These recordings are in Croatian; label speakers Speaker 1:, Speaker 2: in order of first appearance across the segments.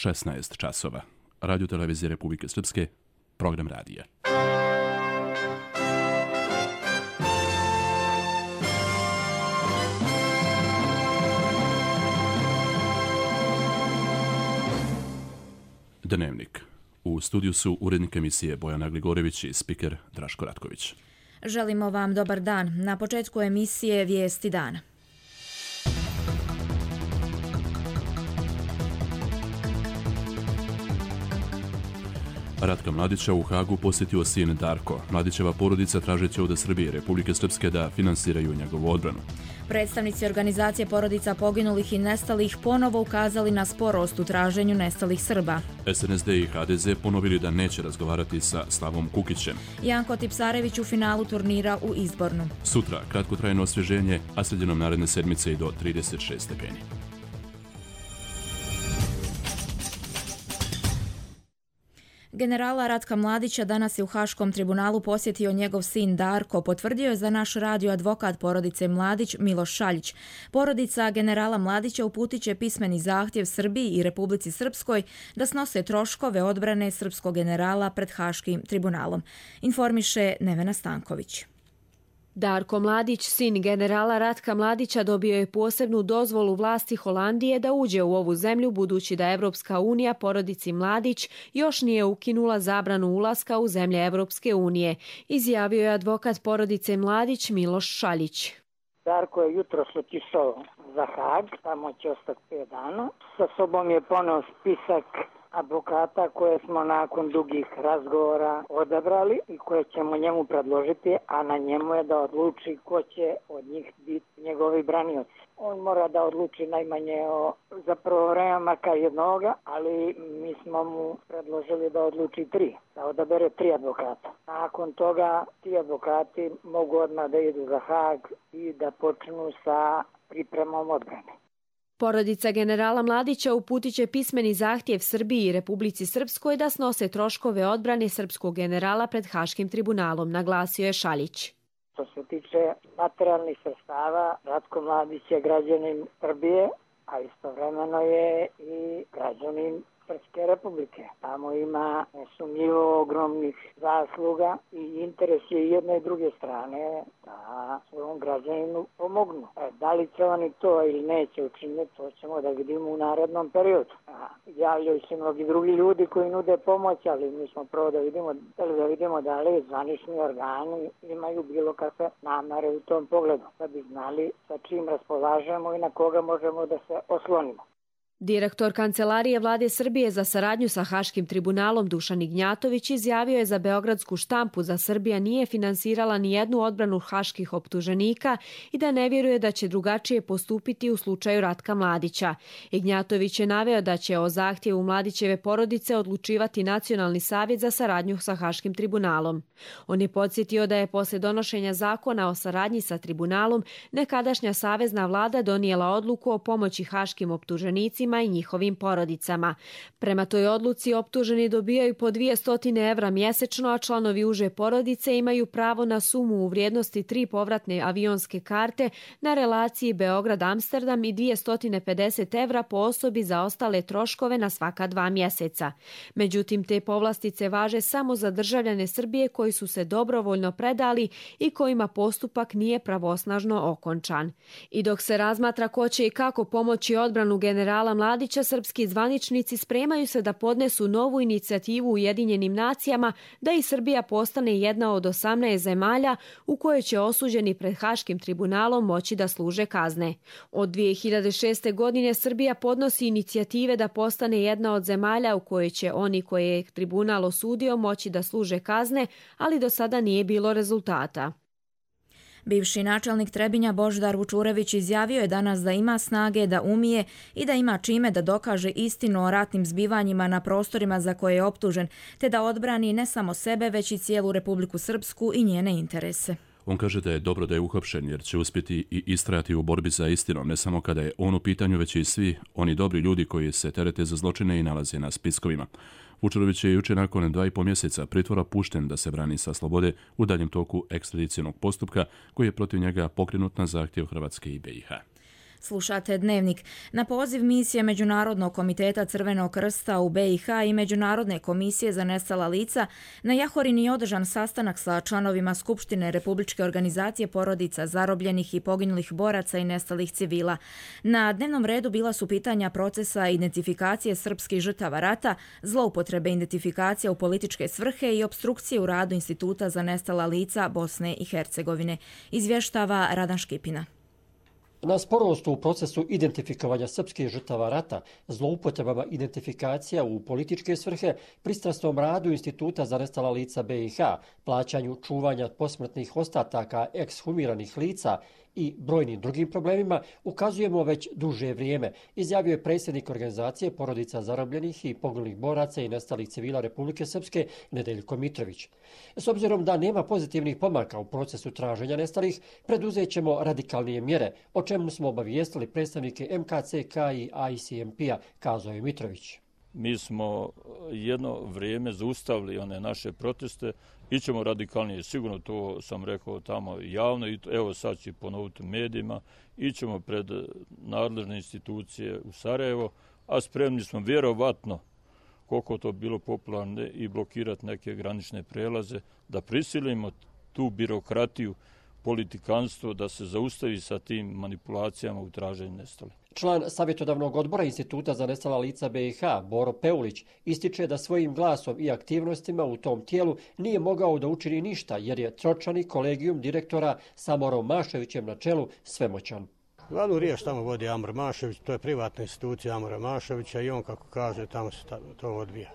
Speaker 1: 16 časova. Radio televizije Republike Srpske, program radija. Dnevnik. U studiju su urednik emisije Bojana Gligorević i spiker Draško Ratković.
Speaker 2: Želimo vam dobar dan. Na početku emisije Vijesti dana.
Speaker 1: Ratka Mladića u Hagu posjetio sin Darko. Mladićeva porodica tražeći od Srbije i Republike Srpske da finansiraju njegovu odbranu.
Speaker 2: Predstavnici organizacije porodica poginulih i nestalih ponovo ukazali na sporost u traženju nestalih Srba.
Speaker 1: SNSD i HDZ ponovili da neće razgovarati sa Slavom Kukićem.
Speaker 2: Janko Tipsarević u finalu turnira u Izbornu.
Speaker 1: Sutra kratkotrajno osvježenje, a sredinom naredne sedmice i do 36 stepeni.
Speaker 2: Generala Ratka Mladića danas je u Haškom tribunalu posjetio njegov sin Darko, potvrdio je za naš radio advokat porodice Mladić Miloš Šaljić. Porodica generala Mladića uputit će pismeni zahtjev Srbiji i Republici Srpskoj da snose troškove odbrane srpskog generala pred Haškim tribunalom, informiše Nevena Stanković.
Speaker 3: Darko Mladić, sin generala Ratka Mladića, dobio je posebnu dozvolu vlasti Holandije da uđe u ovu zemlju, budući da Evropska unija porodici Mladić još nije ukinula zabranu ulaska u zemlje Evropske unije, izjavio je advokat porodice Mladić Miloš Šaljić.
Speaker 4: Darko je jutros otišao za Hag, tamo će ostati 5 dana. Sa sobom je poneo spisak advokata koje smo nakon dugih razgovora odabrali i koje ćemo njemu predložiti, a na njemu je da odluči ko će od njih biti njegovi branioci. On mora da odluči najmanje za prvo vreme makar jednoga, ali mi smo mu predložili da odluči 3, da odabere 3 advokata. Nakon toga ti advokati mogu odmah da idu za Hag i da počnu sa pripremom odbrane.
Speaker 3: Porodica generala Mladića uputit će pismeni zahtjev Srbiji i Republici Srpskoj da snose troškove odbrane srpskog generala pred Haškim tribunalom, naglasio je Šaljić.
Speaker 4: Što se tiče materijalnih sredstava, Ratko Mladić je građanin Srbije, a istovremeno je i građanin Srpske republike. Tamo ima nesumnjivo ogromnih zasluga i interes je jedne i druge strane da svom građaninu pomognu. Da li će oni to ili neće učiniti, to ćemo da vidimo u narednom periodu. Javljaju se mnogi drugi ljudi koji nude pomoć, ali mi smo prvo da vidimo da li zvanični organi imaju bilo kakve namere u tom pogledu, da bi znali sa čim raspolažemo i na koga možemo da se oslonimo.
Speaker 3: Direktor Kancelarije Vlade Srbije za saradnju sa Haškim tribunalom Dušan Ignjatović izjavio je za beogradsku štampu da Srbija nije finansirala ni jednu odbranu haških optuženika i da ne vjeruje da će drugačije postupiti u slučaju Ratka Mladića. Ignjatović je naveo da će o zahtjevu Mladićeve porodice odlučivati Nacionalni savjet za saradnju sa Haškim tribunalom. On je podsjetio da je posle donošenja zakona o saradnji sa tribunalom nekadašnja savezna vlada donijela odluku o pomoći haškim optuženicima i njihovim porodicama. Prema toj odluci optuženi dobijaju po 200 evra mjesečno, a članovi uže porodice imaju pravo na sumu u vrijednosti 3 povratne avionske karte na relaciji Beograd-Amsterdam i 250 evra po osobi za ostale troškove na svaka 2 mjeseca. Međutim, te povlastice važe samo za državljane Srbije koji su se dobrovoljno predali i kojima postupak nije pravosnažno okončan. I dok se razmatra ko će i kako pomoći odbranu generala Mladića, srpski zvaničnici spremaju se da podnesu novu inicijativu u Ujedinjenim nacijama da i Srbija postane jedna od 18 zemalja u kojoj će osuđeni pred Haškim tribunalom moći da služe kazne. Od 2006. godine Srbija podnosi inicijative da postane jedna od zemalja u kojoj će oni koje je tribunal osudio moći da služe kazne, ali do sada nije bilo rezultata.
Speaker 2: Bivši načelnik Trebinja Božidar Vučurević izjavio je danas da ima snage, da umije i da ima čime da dokaže istinu o ratnim zbivanjima na prostorima za koje je optužen, te da odbrani ne samo sebe, već i cijelu Republiku Srpsku i njene interese.
Speaker 1: On kaže da je dobro da je uhapšen jer će uspjeti i istrajati u borbi za istinom, ne samo kada je on u pitanju, već i svi oni dobri ljudi koji se terete za zločine i nalaze na spiskovima. Vučurović je jučer nakon 2,5 mjeseca pritvora pušten da se brani sa slobode u daljem toku ekstradicionog postupka koji je protiv njega pokrenut na zahtjev Hrvatske i BiH.
Speaker 2: Slušate Dnevnik. Na poziv misije Međunarodnog komiteta Crvenog krsta u BiH i Međunarodne komisije za nestala lica, na Jahorini je održan sastanak sa članovima Skupštine Republičke organizacije porodica zarobljenih i poginulih boraca i nestalih civila. Na dnevnom redu bila su pitanja procesa identifikacije srpskih žrtava rata, zloupotrebe identifikacija u političke svrhe i opstrukcije u radu Instituta za nestala lica Bosne i Hercegovine. Izvještava Radan Škipina.
Speaker 5: Na sporost u procesu identifikovanja srpskih žrtava rata, zloupotrebama identifikacija u političke svrhe, pristrasnom radu Instituta za nestala lica BiH, plaćanju čuvanja posmrtnih ostataka ekshumiranih lica i brojnim drugim problemima ukazujemo već duže vrijeme, izjavio je predsjednik organizacije porodica zarobljenih i poginulih boraca i nestalih civila Republike Srpske Nedeljko Mitrović. S obzirom da nema pozitivnih pomaka u procesu traženja nestalih, preduzet ćemo radikalnije mjere, o čemu smo obavijestili predstavnike MKCK i ICMP-a, kazao je Mitrović.
Speaker 6: Mi smo jedno vrijeme zaustavili one naše proteste, ićemo radikalnije, sigurno to sam rekao tamo javno i evo sad ću ponoviti u medijima, ićemo pred nadležne institucije u Sarajevo, a spremni smo vjerovatno, koliko to bilo popularno, i blokirati neke granične prelaze, da prisilimo tu birokratiju, politikanstvo, da se zaustavi sa tim manipulacijama u traženju nestalih.
Speaker 5: Član savjetodavnog odbora Instituta za nestala lica BiH, Boro Peulić, ističe da svojim glasom i aktivnostima u tom tijelu nije mogao da učini ništa, jer je tročlani kolegijum direktora sa Amorom Maševićem na čelu svemoćan.
Speaker 7: Glavnu riječ tamo vodi Amor Mašević, to je privatna institucija Amora Maševića i on, kako kaže, tamo se to odvija.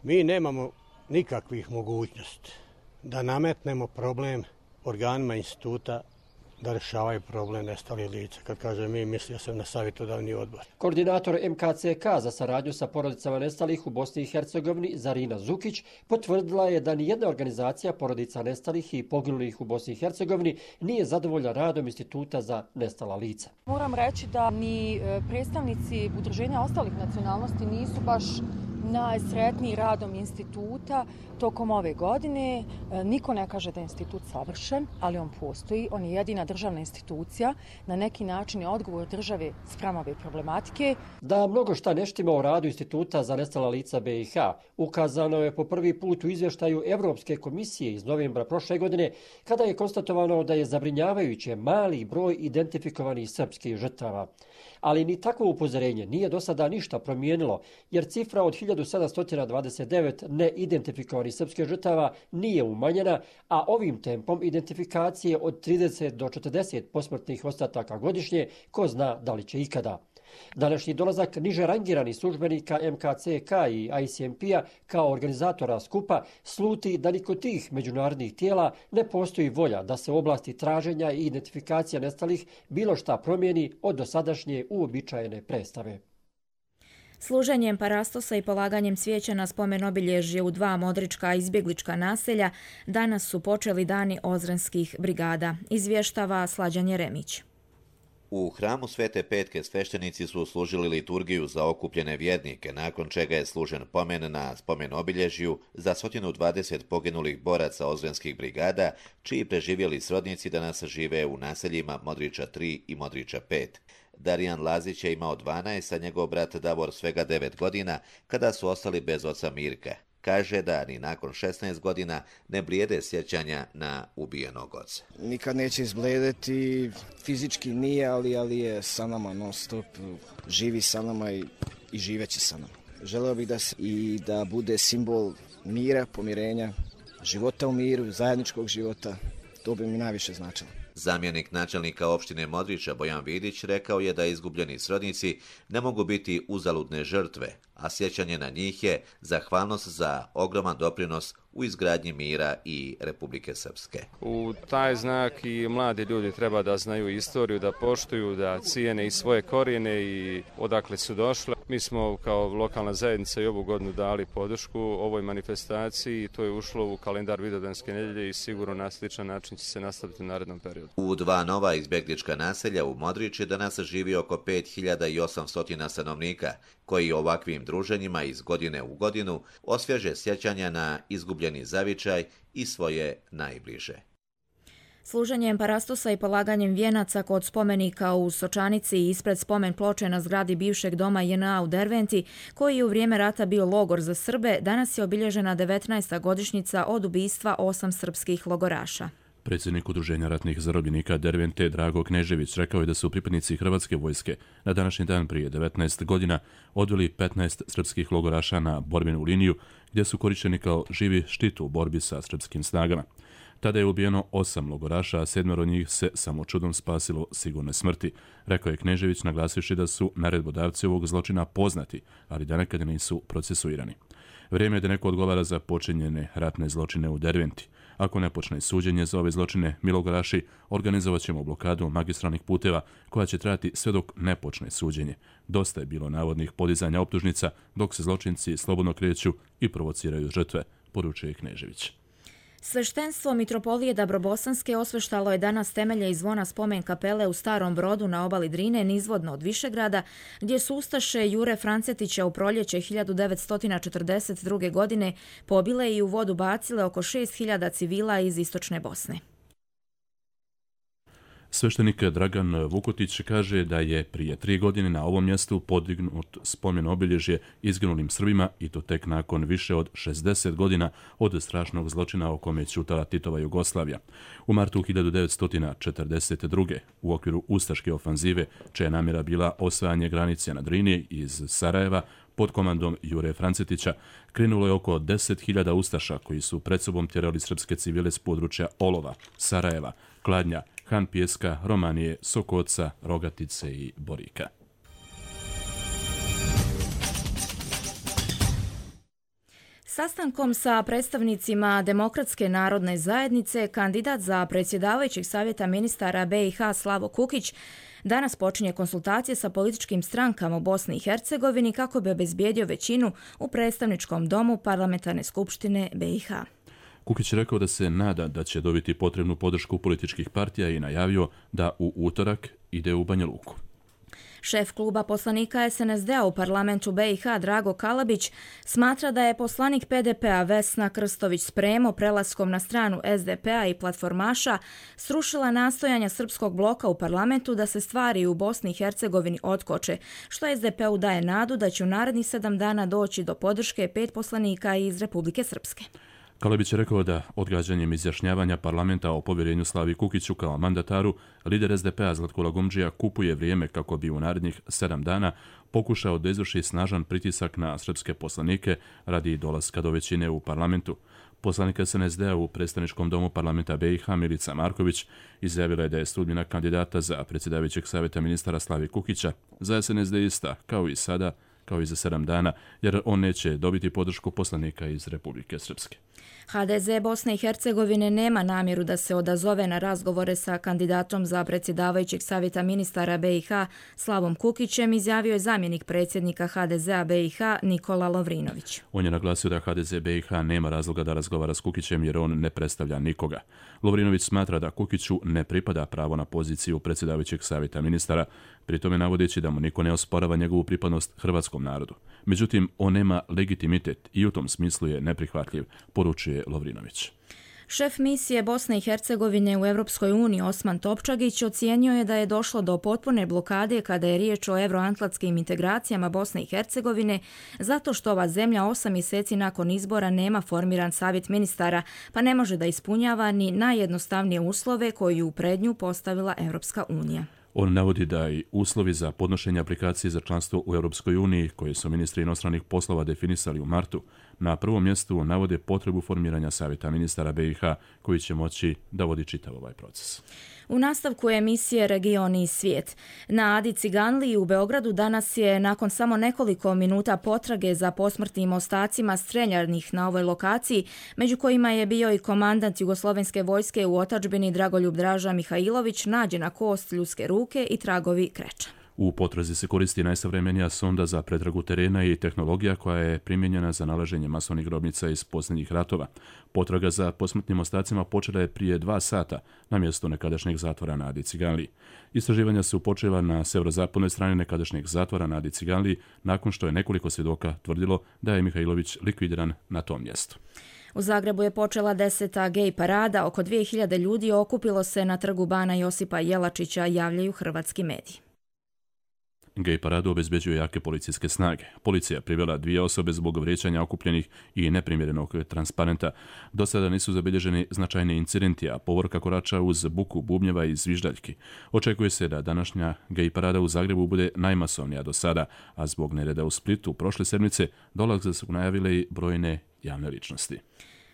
Speaker 7: Mi nemamo nikakvih mogućnosti da nametnemo problem organima instituta da rješavaju problem nestalih lica. Kad kaže mi, mislio sam na savjetodavni odbor.
Speaker 5: Koordinator MKCK za saradnju sa porodicama nestalih u Bosni i Hercegovini, Zarina Zukić, potvrdila je da nijedna organizacija porodica nestalih i poginulih u Bosni i Hercegovini nije zadovoljna radom Instituta za nestala lica.
Speaker 8: Moram reći da ni predstavnici udruženja ostalih nacionalnosti nisu baš najsretniji radom instituta tokom ove godine. Niko ne kaže da je institut savršen, ali on postoji. On je jedina državna institucija. Na neki način je odgovor države spram ove problematike.
Speaker 5: Da mnogo šta ne štima u radu Instituta za nestala lica BiH ukazano je po prvi put u izvještaju Evropske komisije iz novembra prošle godine, kada je konstatovano da je zabrinjavajuće mali broj identifikovanih srpskih žrtava. Ali ni takvo upozorenje nije do sada ništa promijenilo, jer cifra od 1729 neidentifikovanih srpskih žrtava nije umanjena, a ovim tempom identifikacije od 30 do 40 posmrtnih ostataka godišnje, ko zna da li će ikada. Današnji dolazak niže rangiranih službenika MKCK i ICMP-a kao organizatora skupa sluti da ni kod tih međunarodnih tijela ne postoji volja da se u oblasti traženja i identifikacija nestalih bilo šta promijeni od dosadašnje uobičajene predstave.
Speaker 2: Služenjem parastosa i polaganjem cvijeća na spomen obilježje u 2 modrička izbjeglička naselja danas su počeli dani ozrenskih brigada, izvještava Slađan Jeremić.
Speaker 9: U hramu Svete Petke sveštenici su služili liturgiju za okupljene vjernike, nakon čega je služen pomen na spomen obilježju za 120 poginulih boraca ozrenskih brigada, čiji preživjeli srodnici danas žive u naseljima Modriča 3 i Modriča 5. Darijan Lazić je imao 12, a njegov brat Davor svega 9 godina, kada su ostali bez oca Mirka. Kaže da ni nakon 16 godina ne blijede sjećanja na ubijenog oca.
Speaker 10: Nikad neće izblijediti, fizički nije, ali je sa nama non stop, živi sa nama i živeće sa nama. Želeo bih da bude simbol mira, pomirenja, života u miru, zajedničkog života, to bi mi najviše značilo.
Speaker 9: Zamjenik načelnika opštine Modriča Bojan Vidić rekao je da izgubljeni srodnici ne mogu biti uzaludne žrtve, a sjećanje na njih je zahvalnost za ogroman doprinos u izgradnji mira i Republike Srpske.
Speaker 11: U taj znak i mladi ljudi treba da znaju istoriju, da poštuju, da cijene i svoje korijene i odakle su došle. Mi smo kao lokalna zajednica i ovu godinu dali podršku ovoj manifestaciji i to je ušlo u kalendar Vidovdanske nedjelje i sigurno na sličan način će se nastaviti u narednom periodu.
Speaker 9: U 2 nova izbjeglička naselja u Modriči danas živi oko 5800 stanovnika, koji ovakvim druženjima iz godine u godinu osvježe sjećanja na izgubljeni zavičaj i svoje najbliže.
Speaker 2: Služenjem parastosa i polaganjem vijenaca kod spomenika u Sočanici i ispred spomen ploče na zgradi bivšeg doma JNA u Derventi, koji je u vrijeme rata bio logor za Srbe, danas je obilježena 19. godišnjica od ubistva 8 srpskih logoraša.
Speaker 1: Predsjednik Udruženja ratnih zarobljenika Dervente Drago Knežević rekao je da su pripadnici Hrvatske vojske na današnji dan prije 19 godina odveli 15 srpskih logoraša na borbenu liniju gdje su korišteni kao živi štit u borbi sa srpskim snagama. Tada je ubijeno 8 logoraša, a 7 od njih se samo čudom spasilo sigurne smrti, rekao je Knežević, naglasivši da su naredbodavci ovog zločina poznati, ali da nekada nisu procesuirani. Vrijeme je da neko odgovara za počinjene ratne zločine u Derventi. Ako ne počne suđenje za ove zločine, mi logoraši organizovat ćemo blokadu magistralnih puteva koja će trajati sve dok ne počne suđenje. Dosta je bilo navodnih podizanja optužnica dok se zločinci slobodno kreću i provociraju žrtve, poručuje Knežević.
Speaker 2: Sveštenstvo Mitropolije Dabrobosanske osveštalo je danas temelje i zvona spomen kapele u Starom Brodu na obali Drine nizvodno od Višegrada, gdje su ustaše Jure Francetića u proljeće 1942. godine pobile i u vodu bacile oko 6.000 civila iz istočne Bosne.
Speaker 1: Sveštenik Dragan Vukotić kaže da je prije 3 godine na ovom mjestu podignut spomen obilježje izginulim Srbima i to tek nakon više od 60 godina od strašnog zločina o kome je ćutala Titova Jugoslavija. U martu 1942. u okviru ustaške ofanzive, čija namjera bila osvajanje granice na Drini iz Sarajeva, pod komandom Jure Francetića, krenulo je oko 10.000 ustaša koji su pred sobom tjerali srpske civile s područja Olova, Sarajeva, Kladnja, Han Pijeska, Romanije, Sokoca, Rogatice i Borika.
Speaker 2: Sastankom sa predstavnicima Demokratske narodne zajednice, kandidat za predsjedavajućeg savjeta ministara BiH Slavo Kukić danas počinje konsultacije sa političkim strankama u Bosni i Hercegovini kako bi obezbijedio većinu u predstavničkom domu Parlamentarne skupštine BiH.
Speaker 1: Kukić je rekao da se nada da će dobiti potrebnu podršku političkih partija i najavio da u utorak ide u Banja Luku.
Speaker 2: Šef kluba poslanika SNSD-a u parlamentu BiH Drago Kalabić smatra da je poslanik PDP-a Vesna Krstović Spremo prelaskom na stranu SDP-a i platformaša srušila nastojanja srpskog bloka u parlamentu da se stvari u Bosni i Hercegovini otkoče, što SDP-u daje nadu da će u narednih 7 dana doći do podrške 5 poslanika iz Republike Srpske.
Speaker 1: Kalabić je rekao da odgađanjem izjašnjavanja parlamenta o povjerenju Slavi Kukiću kao mandataru, lider SDP-a Zlatko Lagumdžija kupuje vrijeme kako bi u narednih 7 dana pokušao da izvrši snažan pritisak na srpske poslanike radi dolaska do većine u parlamentu. Poslanik SNSD-a u predstavničkom domu parlamenta BiH Milica Marković izjavila je da je sudbina kandidata za predsjedavajućeg savjeta ministara Slavi Kukića za SNSD ista, kao i sada, kao i za 7 dana, jer on neće dobiti podršku poslanika iz Republike Srpske.
Speaker 2: HDZ Bosne i Hercegovine nema namjeru da se odazove na razgovore sa kandidatom za predsjedavajućeg savjeta ministara BiH Slavom Kukićem, izjavio je zamjenik predsjednika HDZ-a BiH Nikola Lovrinović.
Speaker 1: On je naglasio da HDZ BiH nema razloga da razgovara s Kukićem jer on ne predstavlja nikoga. Lovrinović smatra da Kukiću ne pripada pravo na poziciju predsjedavajućeg savjeta ministara, pri tome navodeći da mu niko ne osporava njegovu pripadnost hrvatskom narodu. Međutim, on nema legitimitet i u tom smislu je neprihvatljiv, poručuje Lovrinović.
Speaker 2: Šef misije Bosne i Hercegovine u Europskoj uniji Osman Topčagić ocijenio je da je došlo do potpune blokade kada je riječ o euroatlantskim integracijama Bosne i Hercegovine zato što ova zemlja 8 mjeseci nakon izbora nema formiran savjet ministara, pa ne može da ispunjava ni najjednostavnije uslove koje u pred nju postavila Europska unija.
Speaker 1: On navodi da i uslovi za podnošenje aplikacije za članstvo u Europskoj uniji, koje su ministri inostranih poslova definisali u martu, na prvom mjestu navode potrebu formiranja savjeta ministara BiH koji će moći da vodi čitav ovaj proces.
Speaker 2: U nastavku emisije Region i svijet. Na Adi Ciganliji u Beogradu danas je nakon samo nekoliko minuta potrage za posmrtnim ostacima streljanih na ovoj lokaciji, među kojima je bio i komandant Jugoslovenske vojske u otadžbini Dragoljub Draža Mihajlović, nađena kost ljudske ruke i tragovi kreča.
Speaker 1: U potrazi se koristi najsavremenija sonda za pretragu terena i tehnologija koja je primijenjena za nalaženje masovnih grobnica iz posljednjih ratova. Potraga za posmrtnim ostacima počela je prije 2 sata na mjestu nekadašnjeg zatvora na Adi Ciganliji. Istraživanja su počela na severozapadnoj strani nekadašnjeg zatvora na Adi Ciganliji nakon što je nekoliko svjedoka tvrdilo da je Mihajlović likvidiran na tom mjestu.
Speaker 2: U Zagrebu je počela 10. gej parada. Oko 2000 ljudi okupilo se na trgu Bana Josipa Jelačića, javljaju hrvatski mediji.
Speaker 1: Gej paradu obezbeđuje jake policijske snage. Policija privela 2 osobe zbog vrijeđanja okupljenih i neprimjerenog transparenta. Do sada nisu zabilježeni značajni incidenti, a povorka korača uz buku bubnjeva i zviždaljki. Očekuje se da današnja gej parada u Zagrebu bude najmasovnija do sada, a zbog nereda u Splitu prošle sedmice dolazak su najavile i brojne javne ličnosti.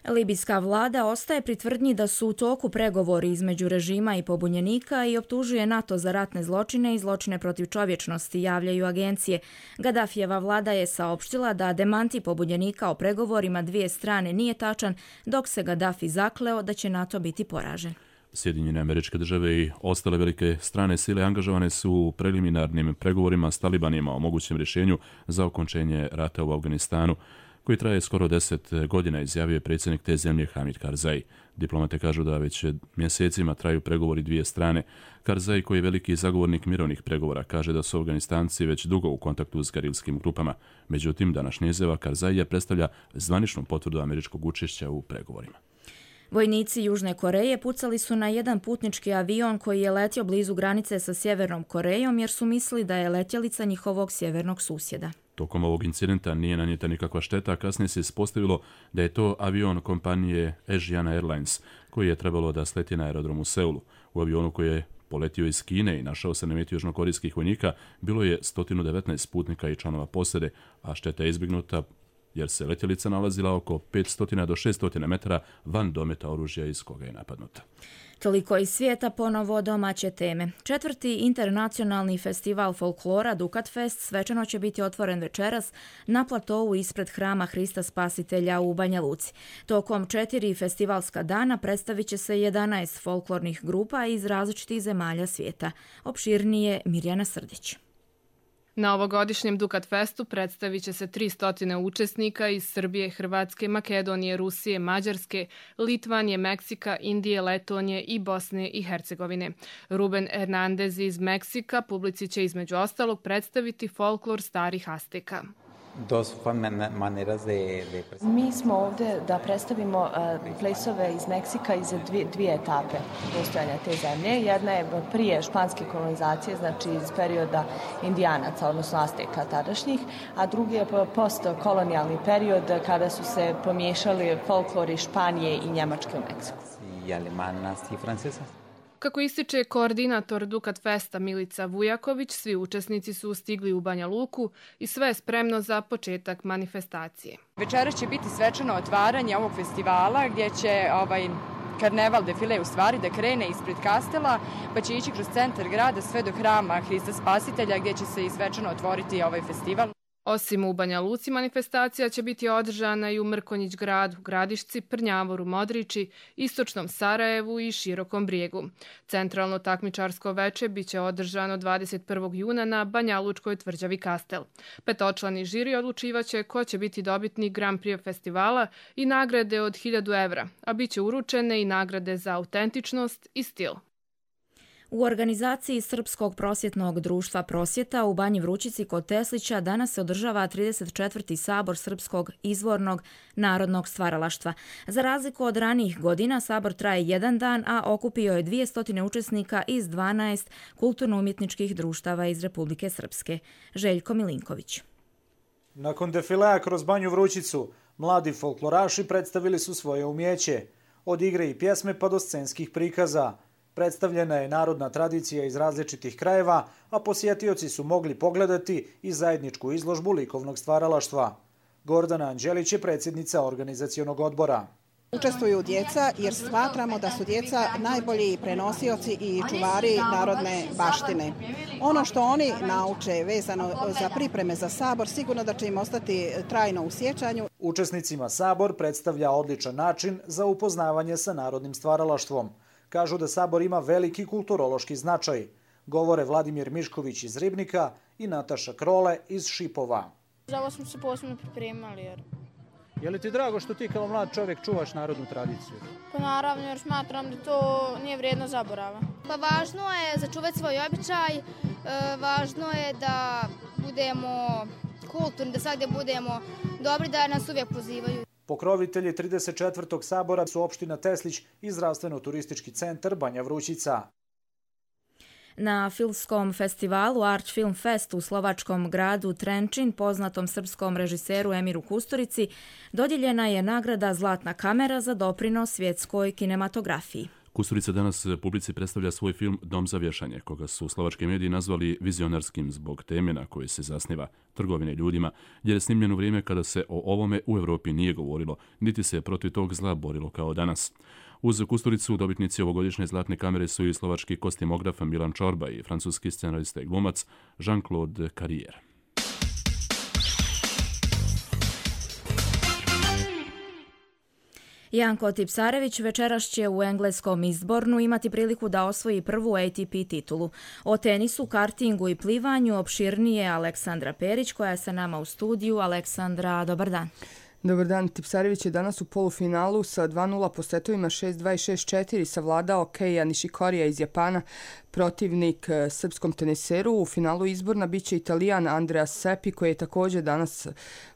Speaker 2: Libijska vlada ostaje pri tvrdnji da su u toku pregovori između režima i pobunjenika i optužuje NATO za ratne zločine i zločine protiv čovječnosti, javljaju agencije. Gaddafijeva vlada je saopštila da demanti pobunjenika o pregovorima dvije strane nije tačan, dok se Gaddafi zakleo da će NATO biti poražen.
Speaker 1: Sjedinjene Američke Države i ostale velike strane sile angažovane su u preliminarnim pregovorima s talibanima o mogućem rješenju za okončenje rata u Afganistanu, koji traje skoro 10 godina, izjavio je predsjednik te zemlje Hamid Karzai. Diplomate kažu da već mjesecima traju pregovori dvije strane. Karzai, koji je veliki zagovornik mirovnih pregovora, kaže da su Afganistanci već dugo u kontaktu s gerilskim grupama. Međutim, današnja izjava Karzaija predstavlja zvaničnu potvrdu američkog učešća u pregovorima.
Speaker 2: Vojnici Južne Koreje pucali su na jedan putnički avion koji je letio blizu granice sa Sjevernom Korejom jer su mislili da je letjelica njihovog sjevernog susjeda.
Speaker 1: Tokom ovog incidenta nije nanijeta nikakva šteta, a kasnije se ispostavilo da je to avion kompanije Asiana Airlines, koji je trebalo da sleti na aerodrom u Seulu. U avionu koji je poletio iz Kine i našao se na meti južnokorejskih vojnika bilo je 119 putnika i članova posade, a šteta je izbjegnuta jer se letjelica nalazila oko 500 do 600 metara van dometa oružja iz koga je napadnuta.
Speaker 2: Toliko iz svijeta, ponovo domaće teme. 4. internacionalni festival folklora Dukat Fest svečano će biti otvoren večeras na platovu ispred hrama Hrista Spasitelja u Banja Luci. Tokom 4 festivalska dana predstavit će se 11 folklornih grupa iz različitih zemalja svijeta. Opširnije Mirjana Srdić.
Speaker 12: Na ovogodišnjem Dukat Festu predstavit će se 300 učesnika iz Srbije, Hrvatske, Makedonije, Rusije, Mađarske, Litvanije, Meksika, Indije, Letonije i Bosne i Hercegovine. Ruben Hernandez iz Meksika publici će između ostalog predstaviti folklor starih Azteka.
Speaker 13: Mi smo ovdje da predstavimo plesove iz Meksika iz dvije etape postojanja te zemlje. Jedna je prije španske kolonizacije, znači iz perioda Indijanaca, odnosno Azteka tadašnjih, a drugi je postkolonijalni period kada su se pomiješali folklori Španije i Njemačke u Meksiku.
Speaker 12: Kako ističe koordinator Dukat Festa Milica Vujaković, svi učesnici su stigli u Banja Luku i sve je spremno za početak manifestacije.
Speaker 14: Večeras će biti svečano otvaranje ovog festivala gdje će karneval defile u stvari da krene ispred kastela, pa će ići kroz centar grada sve do hrama Hrista Spasitelja gdje će se i svečano otvoriti ovaj festival.
Speaker 12: Osim u Banja Luci, manifestacija će biti održana i u Mrkonjić gradu, Gradišci, Prnjavoru, Modriči, Istočnom Sarajevu i Širokom Brijegu. Centralno takmičarsko veče biće održano 21. juna na Banjalučkoj tvrđavi Kastel. Petočlani žiri odlučivaće ko će biti dobitnik Grand Prix festivala i nagrade od 1000 evra, a biće uručene i nagrade za autentičnost i stil.
Speaker 2: U organizaciji Srpskog prosvjetnog društva Prosvjeta u Banji Vrućici kod Teslića danas se održava 34. sabor Srpskog izvornog narodnog stvaralaštva. Za razliku od ranijih godina, sabor traje jedan dan, a okupio je 200 učesnika iz 12 kulturno-umjetničkih društava iz Republike Srpske. Željko Milinković.
Speaker 15: Nakon defilea kroz Banju Vrućicu, mladi folkloraši predstavili su svoje umjeće. Od igre i pjesme pa do scenskih prikaza. Predstavljena je narodna tradicija iz različitih krajeva, a posjetioci su mogli pogledati i zajedničku izložbu likovnog stvaralaštva. Gordana Anđelić je predsjednica organizacionog odbora.
Speaker 16: Učestvuju djeca jer smatramo da su djeca najbolji prenosioci i čuvari narodne baštine. Ono što oni nauče vezano za pripreme za sabor sigurno da će im ostati trajno u sjećanju.
Speaker 15: Učesnicima sabor predstavlja odličan način za upoznavanje sa narodnim stvaralaštvom. Kažu da sabor ima veliki kulturološki značaj. Govore Vladimir Mišković iz Ribnika i Nataša Krole iz Šipova.
Speaker 17: Za ovo smo se posebno pripremali.
Speaker 15: Je li ti drago što ti kao mlad čovjek čuvaš narodnu tradiciju?
Speaker 17: Pa naravno, jer smatram da to nije vrijedno zaborava.
Speaker 18: Pa važno je začuvati svoj običaj, važno je da budemo kulturni, da svakdje budemo dobri, da nas uvijek pozivaju.
Speaker 15: Pokrovitelji 34. sabora su opština Teslić i zdravstveno-turistički centar Banja Vrućica.
Speaker 2: Na filmskom festivalu Art Film Fest u slovačkom gradu Trenčin, poznatom srpskom režiseru Emiru Kusturici, dodijeljena je nagrada Zlatna kamera za doprinos svjetskoj kinematografiji.
Speaker 1: Kusturica danas publici predstavlja svoj film Dom za vješanje, koga su slovački mediji nazvali vizionarskim zbog teme na koje se zasniva trgovine ljudima, jer je snimljen u vrijeme kada se o ovome u Europi nije govorilo, niti se protiv tog zla borilo kao danas. Uz Kusturicu dobitnici ovogodišnje Zlatne kamere su i slovački kostimograf Milan Čorba i francuski scenarista i glumac Jean-Claude Carrière.
Speaker 2: Janko Tipsarević večeras će u engleskom Izbornu imati priliku da osvoji prvu ATP titulu. O tenisu, kartingu i plivanju opširnije Aleksandra Perić, koja je sa nama u studiju. Aleksandra, dobar dan.
Speaker 19: Dobar dan, Tipsarević je danas u polufinalu sa 2-0 po setovima 6-2 i 6-4 savladao Keija Nishikorija iz Japana, protivnik srpskom teniseru. U finalu Izborna biće Italijan Andrea Seppi, koji je također danas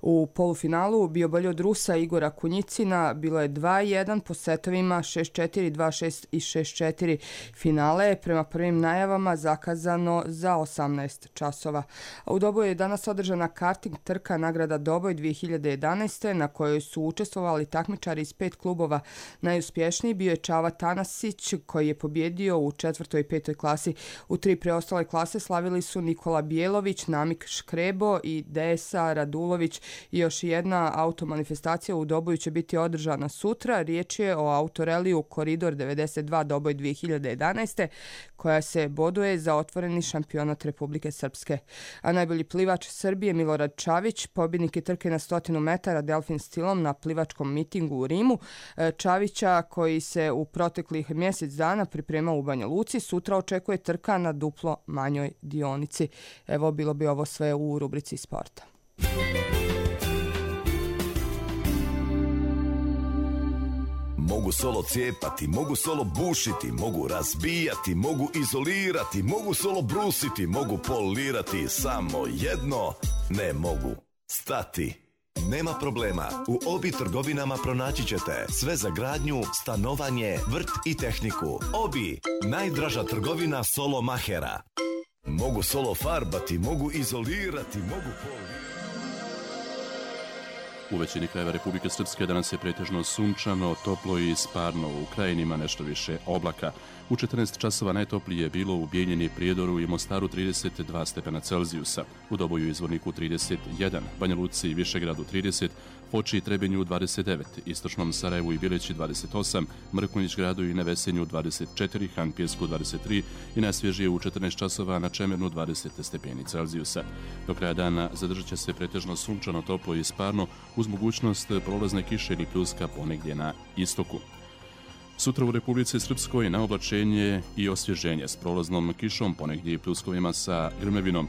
Speaker 19: u polufinalu bio bolji od Rusa Igora Kunjicina. Bilo je 2-1 po setovima 6-4, 2-6 i 6-4 finale. Prema prvim najavama zakazano za 18 časova. U Doboju je danas održana karting trka nagrada Doboj 2011. na kojoj su učestvovali takmičari iz 5 klubova. Najuspješniji bio je Čava Tanasić, koji je pobjedio u 4. i 5. klasi. U 3 preostale klase slavili su Nikola Bijelo-vić, Namik Škrebo i Desa Radulović. I još jedna automanifestacija u Doboju će biti održana sutra. Riječ je o autoreliju Koridor 92 Doboj 2011. koja se boduje za otvoreni šampionat Republike Srpske. A najbolji plivač Srbije Milorad Čavić, pobjednik je trke na 100 metara delfin stilom na plivačkom mitingu u Rimu. Čavića, koji se u proteklih mjesec dana pripremao u Banja Luci, sutra očekuje trka na duplo manjoj dionici. Evo, bilo bi ovo sve u rubrici sporta.
Speaker 20: Mogu solo cijepati, mogu solo bušiti, mogu razbijati, mogu izolirati, mogu solo brusiti, mogu polirati, samo jedno ne mogu stati. Nema problema, u Obi trgovinama pronaći ćete sve za gradnju, stanovanje, vrt i tehniku. Obi, najdraža trgovina solo mahera. Mogu solo farbati, mogu izolirati, mogu polirati.
Speaker 1: U većini krajeva Republike Srpske danas je pretežno sunčano, toplo i sparno, u krajinima nešto više oblaka. U 14 časova najtoplije je bilo u Bijeljini, Prijedoru i Mostaru 32 stepena Celzijusa, u Doboju i Izvorniku 31, Banja Luci i Višegradu 30, Foči i Trebinju 29, Istočnom Sarajevu i Bileći 28, Mrkonjić gradu i Nevesenju 24, Han Pijesku 23 i najsvježije u 14 časova na Čemernu 20 stepeni Celzijusa. Do kraja dana zadržat će se pretežno sunčano, toplo i sparno uz mogućnost prolazne kiše ili pljuska ponegdje na istoku. Sutra u Republici Srpskoj na oblačenje i osvježenje s prolaznom kišom, ponegdje i pljuskovima sa grmevinom.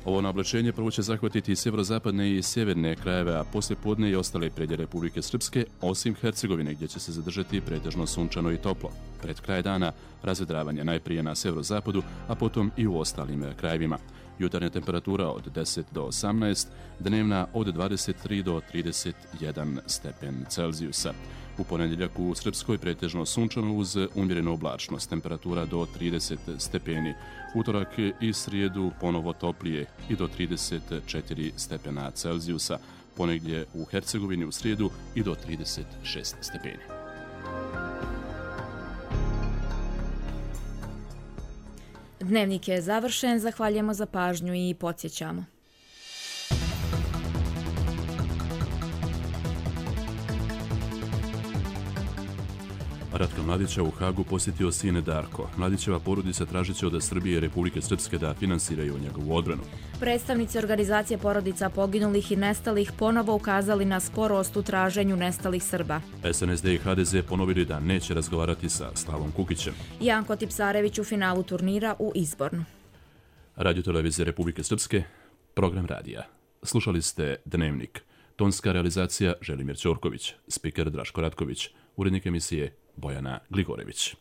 Speaker 1: Ovo naoblačenje prvo će zahvatiti i sjeverozapadne i sjeverne krajeve, a poslije podne i ostale predje Republike Srpske, osim Hercegovine, gdje će se zadržati pretežno sunčano i toplo. Pred kraj dana razvedravanje najprije na sjeverozapadu, a potom i u ostalim krajevima. Jutarnja temperatura od 10 do 18, dnevna od 23 do 31 stepen Celzijusa. U ponedjeljak u Srpskoj pretežno sunčano uz umjerenu oblačnost, temperatura do 30 stepeni. Utorak i srijedu ponovo toplije i do 34 stepena Celzijusa. Ponegdje u Hercegovini u srijedu i do 36 stepeni.
Speaker 2: Dnevnik je završen, zahvaljujemo za pažnju i podsjećamo.
Speaker 1: Ratka Mladića u Hagu posjetio sin Darko. Mladićeva porodica tražit će od Srbije i Republike Srpske da finansiraju njegovu odbranu.
Speaker 2: Predstavnici organizacije porodica poginulih i nestalih ponovo ukazali na sporost u traženju nestalih Srba.
Speaker 1: SNSD i HDZ ponovili da neće razgovarati sa Slavom Kukićem.
Speaker 2: Janko Tipsarević u finalu turnira u Izbornu.
Speaker 1: Radio-televizija Republike Srpske, program radija. Slušali ste Dnevnik. Tonska realizacija Želimir Ćorković, spiker Draško Ratković, urednik emisije Bojana Gligorević.